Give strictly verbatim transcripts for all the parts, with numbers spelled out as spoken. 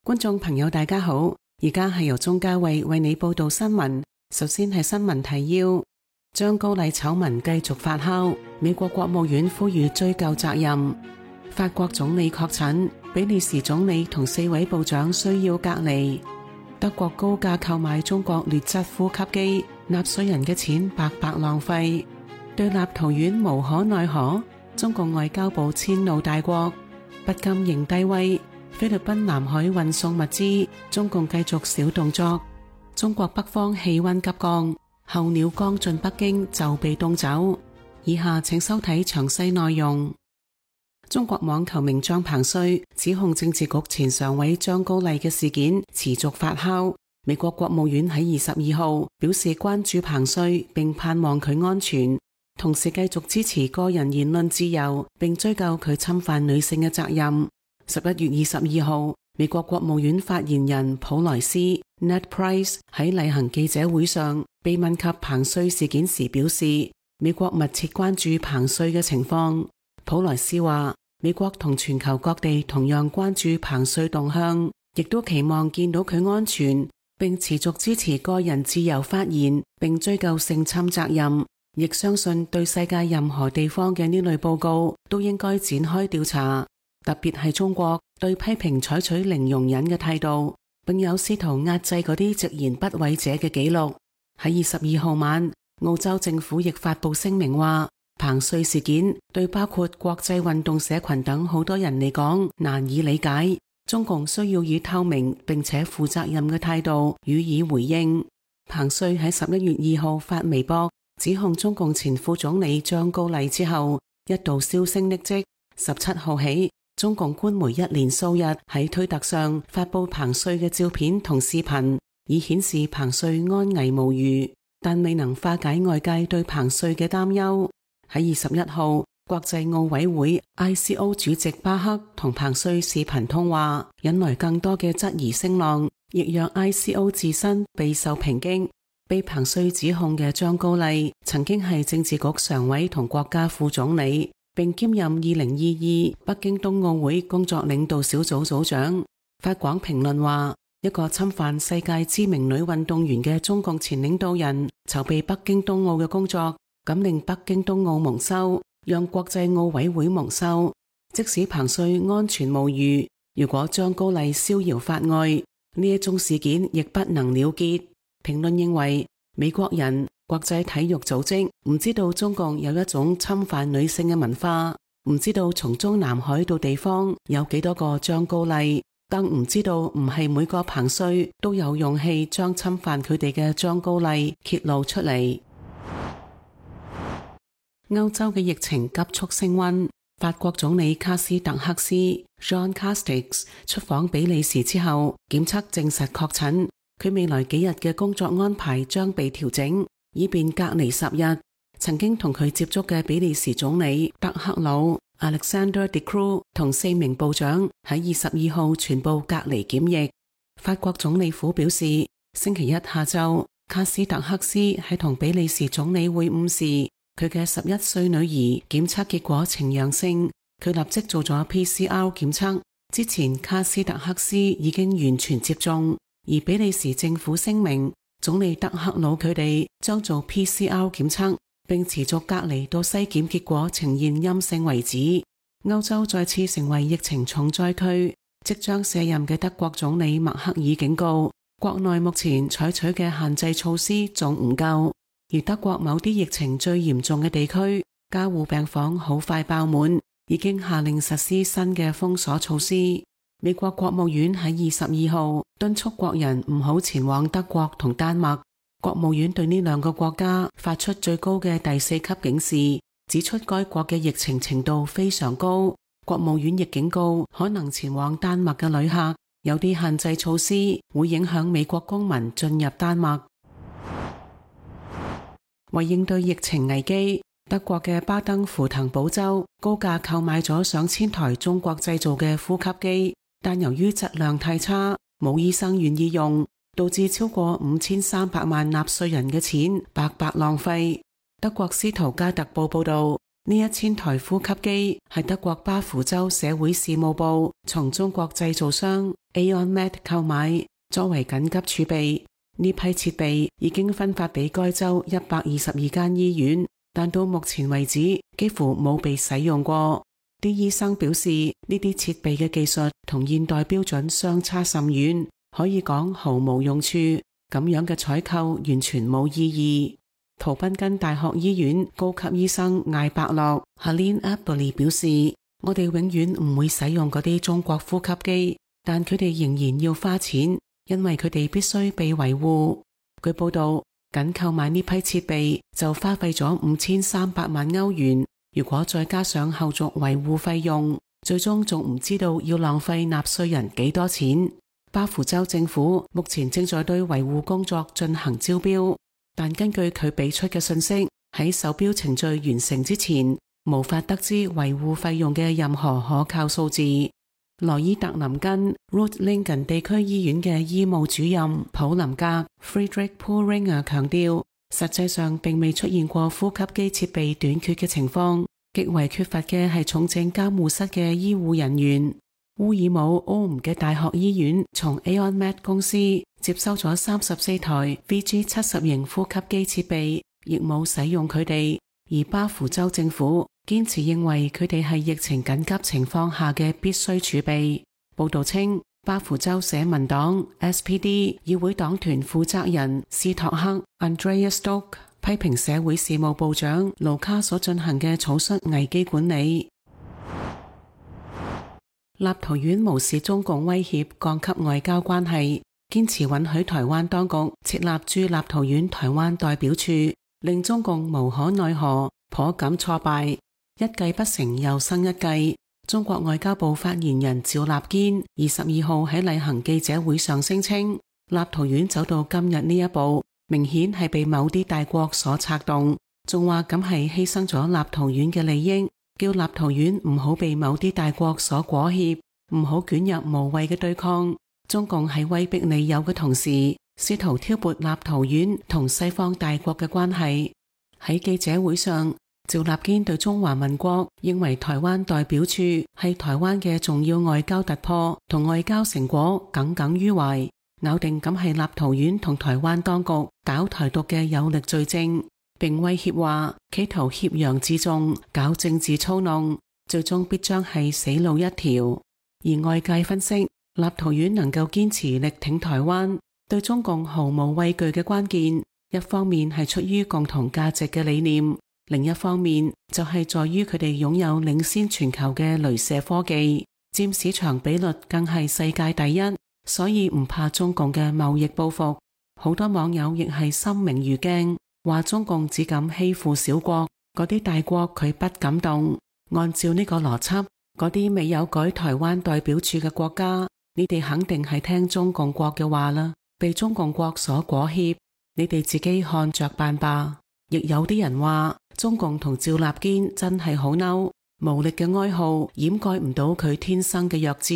觀眾朋友大家好，而家係由鍾嘉慧為你報道新聞。首先係新聞提要：張高麗醜聞繼續發酵，美國國務院呼籲追究責任。法國總理確診，比利時總理同四位部長需要隔離。德國高價購買中國劣質呼吸機，納稅人嘅錢白白浪費。對立陶宛無可奈何，中共外交部遷怒大國，不禁認低威。菲律賓南海運送物資，中共繼續小動作。中國北方氣溫急降，候鳥剛進北京就被凍走。以下請收睇詳細內容。中國網球名將彭帥指控政治局前常委張高麗嘅事件持續發酵。美國國務院喺二十二號表示關注彭帥，並盼望佢安全，同時繼續支持個人言論自由，並追究佢侵犯女性嘅責任。十一月二十二號，美國國務院發言人普萊斯 Ned Price 喺例行記者會上被問及彭帥事件時表示，美國密切關注彭帥嘅情況。普萊斯話，美國同全球各地同樣關注彭帥動向，亦都期望見到佢安全，並持續支持個人自由發言，並追究性侵責任。亦相信對世界任何地方嘅呢類報告都應該展開調查。特別係中國對批評採取零容忍嘅態度，並有試圖壓制嗰啲直言不諱者嘅記錄。喺二十二號晚，澳洲政府亦發布聲明話，彭帥事件對包括國際運動社群等好多人嚟講難以理解，中共需要以透明並且負責任嘅態度予以回應。彭帥喺十一月二號發微博指控中共前副總理張高麗之後，一度銷聲匿跡。十七號起，中共官媒一連數日喺推特上發佈彭帥嘅照片同視頻，以顯示彭帥安危無虞，但未能化解外界對彭帥嘅擔憂。喺二十一號，國際奧委會 I C O 主席巴克同彭帥視頻通話，引來更多嘅質疑聲浪，亦讓 I C O 自身備受抨擊。被彭帥指控嘅張高麗曾經係政治局常委同國家副總理，並兼任二零二二北京冬奧會工作領導小組組長。法廣評論話，一個侵犯世界知名女運動員嘅中共前領導人籌備北京冬奧嘅工作，咁令北京冬奧蒙羞，讓國際奧委會蒙羞。即使彭帥安全無虞，如果張高麗逍遙法外，呢一宗事件亦不能了結。評論認為，美國人、國際體育組織唔知道中共有一種侵犯女性嘅文化，唔知道從中南海到地方有幾多個張高麗，更唔知道唔係每個彭帥都有勇氣將侵犯佢哋嘅張高麗揭露出嚟。歐洲嘅疫情急速升溫，法國總理卡斯特克斯 Jean Castex 出訪比利時之後，檢測證實確診。佢未來幾日嘅工作安排將被調整，以便隔離十日。曾經同佢接觸嘅比利時總理德克魯 Alexander De Croo 同四名部長喺二十二號全部隔離檢疫。法國總理府表示，星期一下晝，卡斯特克斯喺同比利時總理會晤時，佢嘅十一歲女兒檢測結果呈陽性，佢立即做咗 P C R 檢測。之前卡斯特克斯已經完全接種。而比利時政府聲明，總理德克魯佢哋將做 P C R 檢測，並持續隔離到篩檢結果呈現陰性為止。歐洲再次成為疫情重災區，即將卸任嘅德國總理默克爾警告，國內目前採取嘅限制措施仲唔夠，而德國某啲疫情最嚴重嘅地區，加護病房好快爆滿，已經下令實施新嘅封鎖措施。美國國務院喺二十二號敦促國人唔好前往德國同丹麥。國務院對呢兩個國家發出最高嘅第四級警示，指出該國嘅疫情程度非常高。國務院亦警告可能前往丹麥嘅旅客，有啲限制措施會影響美國公民進入丹麥。為應對疫情危機，德國嘅巴登符騰堡州高價購買咗上千台中國製造嘅呼吸機。但由於質量太差，冇醫生願意用，導致超過五千三百萬納稅人嘅錢白白浪費。德國斯圖加特報報道，呢一千台呼吸機係德國巴伐州社會事務部從中國製造商 AonMed 購買，作為緊急儲備。呢批設備已經分發俾該州一百二十二間醫院，但到目前為止幾乎冇被使用過。啲醫生表示，呢啲設備嘅技術同現代標準相差甚遠，可以講毫無用處。咁樣嘅採購完全冇意義。圖賓根大學醫院高級醫生艾伯洛 Helene Aberle 表示，我哋永遠唔會使用嗰啲中國呼吸機，但佢哋仍然要花錢，因為佢哋必須被維護。據報道，僅購買呢批設備就花費咗五千三百萬歐元，如果再加上後續維護費用，最終仲唔知道要浪費納稅人幾多錢。巴伐州政府目前正在對維護工作進行招標，但根據佢俾出嘅信息，喺售標程序完成之前，無法得知維護費用嘅任何可靠數字。羅伊特林根 Reutlingen 地區醫院嘅醫務主任普林格 Friedrich Pohlringer 強調，實際上並未出現過呼吸機設備短缺嘅情況，極為缺乏嘅係重症監護室嘅醫護人員。烏爾姆 Ulm 嘅大學醫院從 AonMed 公司接收咗三十四台 V G 七十型呼吸機設備，亦冇使用佢哋。而巴伐州政府堅持認為佢哋係疫情緊急情況下嘅必須儲備。報道稱，巴伐州社民黨 S P D 議會黨團負責人斯托克 Andreas Stock 批評社會事務部長盧卡所進行嘅草率危機管理。立陶宛無視中共威脅，降級外交關係，堅持允許台灣當局設立駐立陶宛台灣代表處，令中共無可奈何，頗感挫敗。一計不成又生一計。中國外交部發言人趙立堅二十二號喺例行記者會上聲稱，立陶宛走到今日呢一步，明顯係被某啲大國所策動，仲話咁係犧牲咗立陶宛嘅利益，叫立陶宛唔好被某啲大國所裹挾，唔好捲入無謂嘅對抗。中共喺威逼利誘嘅同時，試圖挑撥立陶宛同西方大國嘅關係。喺記者會上，趙立堅對中華民國認為台灣代表處係台灣嘅重要外交突破同外交成果耿耿於懷，咬定咁係立陶宛同台灣當局搞台獨嘅有力罪證，並威脅話企圖挾洋自重，搞政治操弄，最終必將係死路一條。而外界分析，立陶宛能夠堅持力挺台灣，對中共毫無畏懼嘅關鍵，一方面係出於共同價值嘅理念，另一方面就係在於佢哋擁有領先全球嘅鐳射科技，佔市場比率更係世界第一，所以唔怕中共嘅貿易報復。好多網友亦係心明如鏡，話中共只敢欺負小國，嗰啲大國佢不敢動。按照呢個邏輯，嗰啲未有改台灣代表處嘅國家，你哋肯定係聽中共國嘅話啦，被中共國所裹挾，你哋自己看着辦吧。亦有啲人話，中共同趙立堅真係好嬲，無力嘅哀號掩蓋唔到佢天生嘅弱智。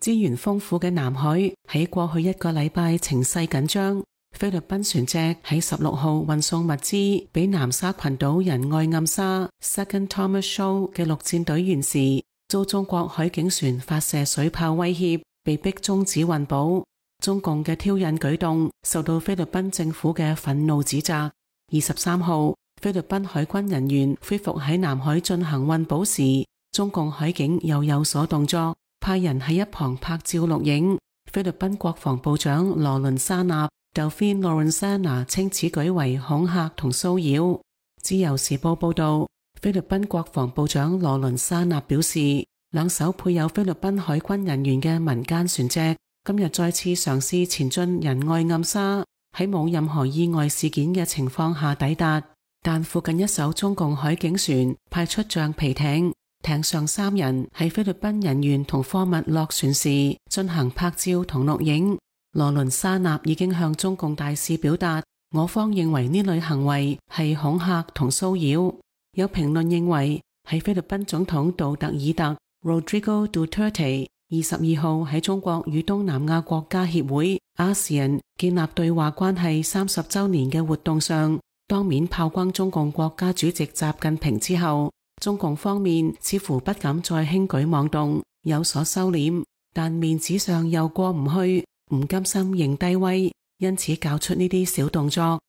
資源豐富嘅南海喺過去一個禮拜情勢緊張，菲律賓船隻喺十六號運送物資俾南沙群島仁愛暗沙 Second Thomas Shoal 嘅陸戰隊員時，遭中國海警船發射水炮威脅，被逼終止運補。中共嘅挑釁舉動受到菲律賓政府嘅憤怒指責。二十三號，菲律賓海軍人員恢復喺南海進行運補時，中共海警又有所動作，派人喺一旁拍照錄影。菲律賓國防部長羅倫沙納 Delfin Lorenzana 稱此舉為恐嚇同騷擾。自由時報報道，菲律賓國防部長羅倫沙納表示，兩艘配有菲律賓海軍人員嘅民間船隻今日再次嘗試前進仁愛暗沙，喺冇任何意外事件嘅情況下抵達，但附近一艘中共海警船派出橡皮艇，艇上三人係菲律賓人員同貨物落船時進行拍照同錄影。羅倫沙納已經向中共大使表達，我方認為呢類行為係恐嚇同騷擾。有評論認為，喺菲律賓總統杜特爾特 Rodrigo Duterte二十二號喺中國與東南亞國家協會 A S E A N 建立對話關係三十週年嘅活動上，當面炮轟中共國家主席習近平之後，中共方面似乎不敢再輕舉妄動，有所收斂，但面子上又過唔去，唔甘心認低威，因此搞出呢啲小動作。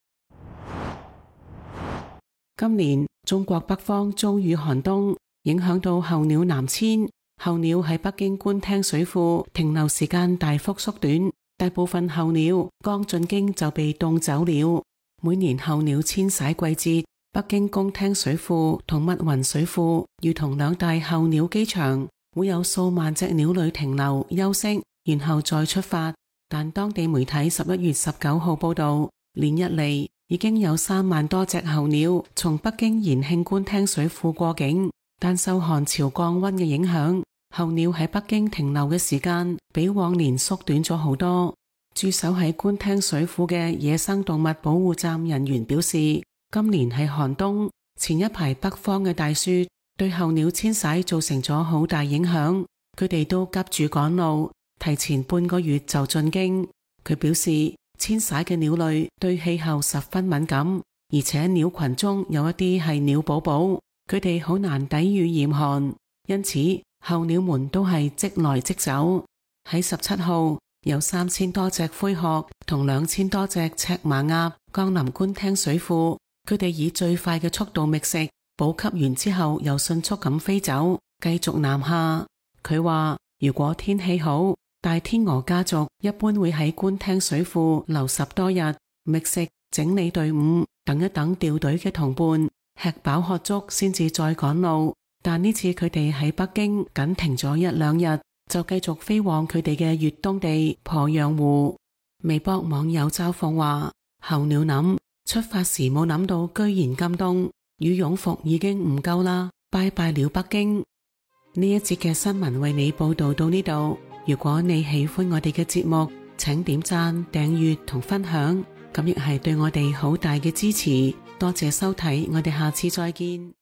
今年中國北方遭遇寒冬，影響到候鳥南遷，候鳥喺北京官廳水庫停留時間大幅縮短，大部分候鳥剛進京就被凍走了。每年候鳥遷徙季節，北京宮廳水庫同密雲水庫如同兩大候鳥機場，會有數萬隻鳥類停留休息，然後再出發。但當地媒體十一月十九號報道，連日嚟已經有三萬多隻候鳥從北京延慶官廳水庫過境，但受寒潮降溫嘅影響，候鳥喺北京停留嘅時間比往年縮短咗好多。駐守喺官廳水庫嘅野生動物保護站人員表示，今年係寒冬，前一排北方嘅大雪對候鳥遷徙造成咗好大影響，佢哋都急住趕路，提前半個月就進京。佢表示，遷徙嘅鳥類對氣候十分敏感，而且鳥群中有一啲係鳥寶寶，佢哋好難抵禦嚴寒，因此候鳥們都係即來即走。喺十七號，有三千多隻灰鶴同兩千多隻赤麻鴨降臨官廳水庫，佢哋以最快嘅速度覓食，補給完之後又迅速咁飛走，繼續南下。佢話如果天氣好，大天鵝家族一般會喺官廳水庫留十多日，覓食、整理隊伍，等一等掉隊嘅同伴，吃飽喝足先至再趕路。但呢次佢哋喺北京僅停咗一兩日，就繼續飛往佢哋嘅越冬地鄱陽湖。微博網友嘲諷話，候鳥諗出發時冇諗到居然咁凍，羽絨服已經唔夠啦，拜拜了北京。呢一節嘅新聞為你報道到呢度。如果你喜歡我哋嘅節目，請點讚、訂閱同分享，咁亦係對我哋好大嘅支持。多謝收睇，我哋下次再見。